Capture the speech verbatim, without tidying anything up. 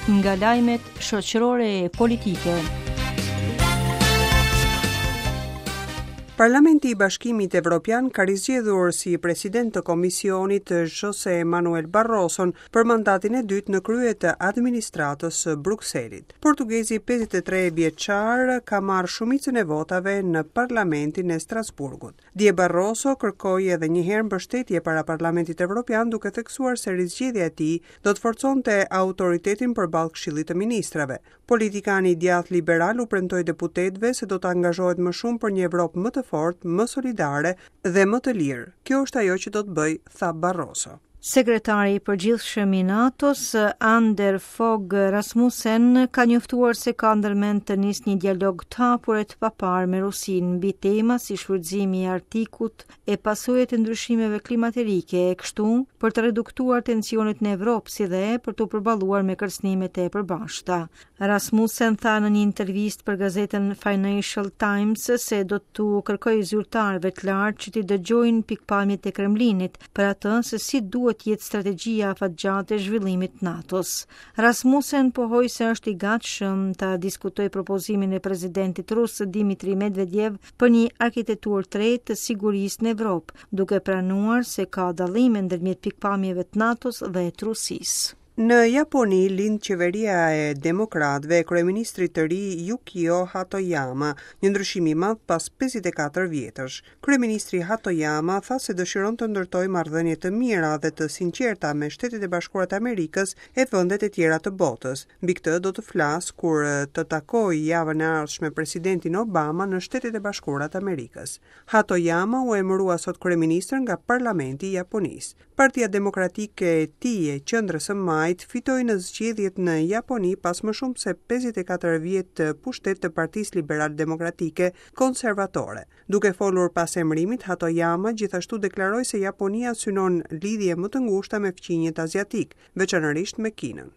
Nga lajmet shoqërore e politike. Parlamenti i Bashkimit Evropian ka rizgjedhur si president të Komisionit Jose Manuel Barroso për mandatin e dytë në krye të administratës së Brukselit. Portugezi pesëdhjetë e tre vjeçar ka marrë shumicën e votave në Parlamentin e Strasburgut. Dje Barroso kërkoi edhe një herë mbështetje para Parlamentit Evropian, duke theksuar se rizgjedhja e tij do të forconte autoritetin përballë Këshillit të Ministrave. Politikani i djathtë liberal u premtoi deputetëve se do të angazhohet më shumë për një Evropë më të fortë, më solidare dhe më të lirë. Kjo është ajo që do të bëj, tha Barroso. Sekretari i përgjithshëm i NATO-s, Anders Fogh Rasmussen, ka njoftuar se ka ndërmend të nisë një dialog të hapur e të paparë me Rusinë mbi tema si shfrytëzimi i Arktikut e pasojat e ndryshimeve klimaterike, e kështu për të reduktuar tensionet në Evropë si dhe për të përballuar me kërcënimet e përbashkëta. Rasmussen tha në një intervistë për gazetën Financial Times se do t'u kërkojë zyrtarëve të lartë që t'i dëgjojnë pikpamjet e Kremlinit për atë se si duhet jetë strategjia afatgjatë e zhvillimit të NATO-s. Rasmussen pohoi se është i gatshëm ta diskutojë propozimin e presidentit rus Dimitri Medvedev për një arkitekturë të re të sigurisë në Evropë, duke pranuar se ka dallime ndërmjet pikpamjeve të NATO-s dhe të Rusisë. Në Japoni lind qeveria e demokratëve e kryeministrit të ri Yukio Hatoyama, një ndryshim i madh pas pesëdhjetë e katër vjetësh. Kryeministri Hatoyama tha se dëshiron të ndërtojë marrëdhënie të mira dhe të sinqerta me Shtetet e Bashkuara të Amerikës e vendet e tjera të botës. Mbi këtë do të flas kur të takojë javën e ardhshme presidentin Obama në Shtetet e Bashkuara të Amerikës. Hatoyama u emërua sot kryeministër nga Parlamenti i Japonisë. Partia Demokratike e tij e qendrës së majtë fitoi në zgjedhjet në Japoni pas më shumë se pesëdhjetë e katër vjet të pushtet të Partisë Liberal Demokratike Konservatore. Duke folur pas emërimit, Hatoyama gjithashtu deklaroi se Japonia synon lidhje më të ngushta me fqinjët aziatik, veçanërisht me Kinën.